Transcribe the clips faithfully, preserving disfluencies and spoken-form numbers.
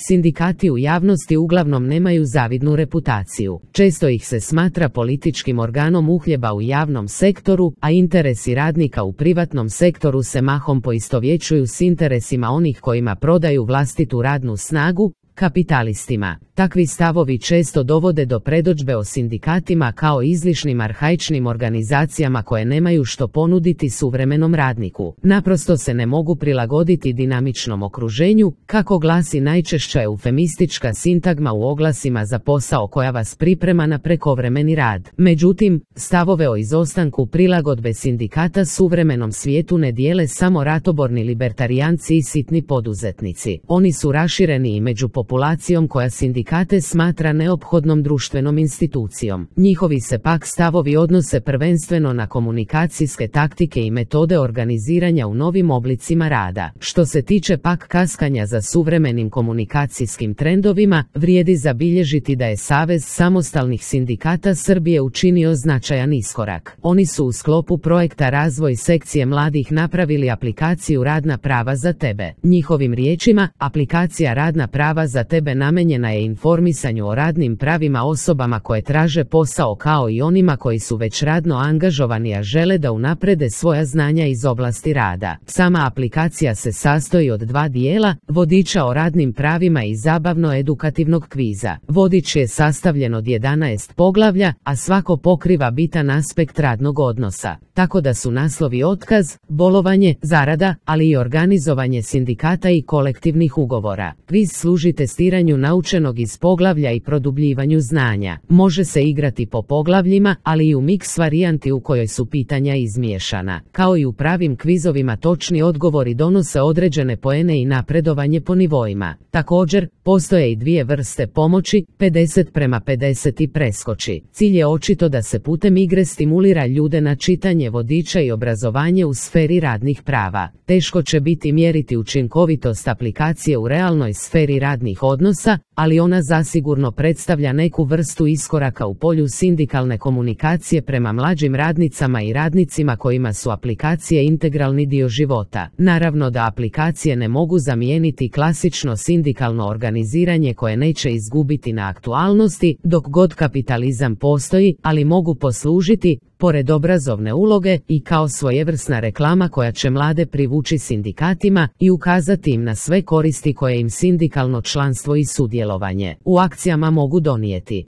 Sindikati u javnosti uglavnom nemaju zavidnu reputaciju. Često ih se smatra političkim organom uhljeba u javnom sektoru, a interesi radnika u privatnom sektoru se mahom poistovjećuju s interesima onih kojima prodaju vlastitu radnu snagu, kapitalistima. Takvi stavovi često dovode do predodžbe o sindikatima kao izlišnim arhaičnim organizacijama koje nemaju što ponuditi suvremenom radniku. Naprosto se ne mogu prilagoditi dinamičnom okruženju, kako glasi najčešća eufemistička sintagma u oglasima za posao koja vas priprema na prekovremeni rad. Međutim, stavove o izostanku prilagodbe sindikata suvremenom svijetu ne dijele samo ratoborni libertarijanci i sitni poduzetnici. Oni su rašireni i među populacijom koja sindikate smatra neophodnom društvenom institucijom. Njihovi se pak stavovi odnose prvenstveno na komunikacijske taktike i metode organiziranja u novim oblicima rada. Što se tiče pak kaskanja za suvremenim komunikacijskim trendovima, vrijedi zabilježiti da je Savez samostalnih sindikata Srbije učinio značajan iskorak. Oni su u sklopu projekta Razvoj sekcije mladih napravili aplikaciju Radna prava za tebe. Njihovim riječima, aplikacija Radna prava za tebe namenjena je informisanju o radnim pravima osobama koje traže posao kao i onima koji su već radno angažovani a žele da unaprede svoja znanja iz oblasti rada. Sama aplikacija se sastoji od dva dijela, vodiča o radnim pravima i zabavno-edukativnog kviza. Vodič je sastavljen od jedanaest poglavlja, a svako pokriva bitan aspekt radnog odnosa, tako da su naslovi otkaz, bolovanje, zarada, ali i organizovanje sindikata i kolektivnih ugovora. Kviz služi testiranju naučenog iz poglavlja i produbljivanju znanja. Može se igrati po poglavljima, ali i u miks varijanti u kojoj su pitanja izmiješana. Kao i u pravim kvizovima točni odgovori donose određene poene i napredovanje po nivoima. Također, postoje i dvije vrste pomoći, pedeset prema pedeset i preskoči. Cilj je očito da se putem igre stimulira ljude na čitanje vodiča i obrazovanje u sferi radnih prava. Teško će biti mjeriti učinkovitost aplikacije u realnoj sferi radnih odnosa, ali ona zasigurno predstavlja neku vrstu iskoraka u polju sindikalne komunikacije prema mlađim radnicama i radnicima kojima su aplikacije integralni dio života. Naravno da aplikacije ne mogu zamijeniti klasično sindikalno organiziranje koje neće izgubiti na aktualnosti dok god kapitalizam postoji, ali mogu poslužiti, pored obrazovne uloge, i kao svojevrsna reklama koja će mlade privući sindikatima i ukazati im na sve koristi koje im sindikalno članstvo i sudjelovanje u akcijama mogu donijeti.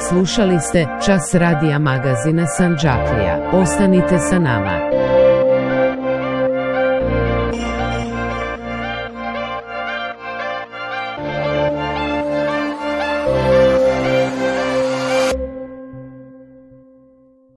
Slušali ste Čas radija magazina Sandžaklija. Ostanite sa nama.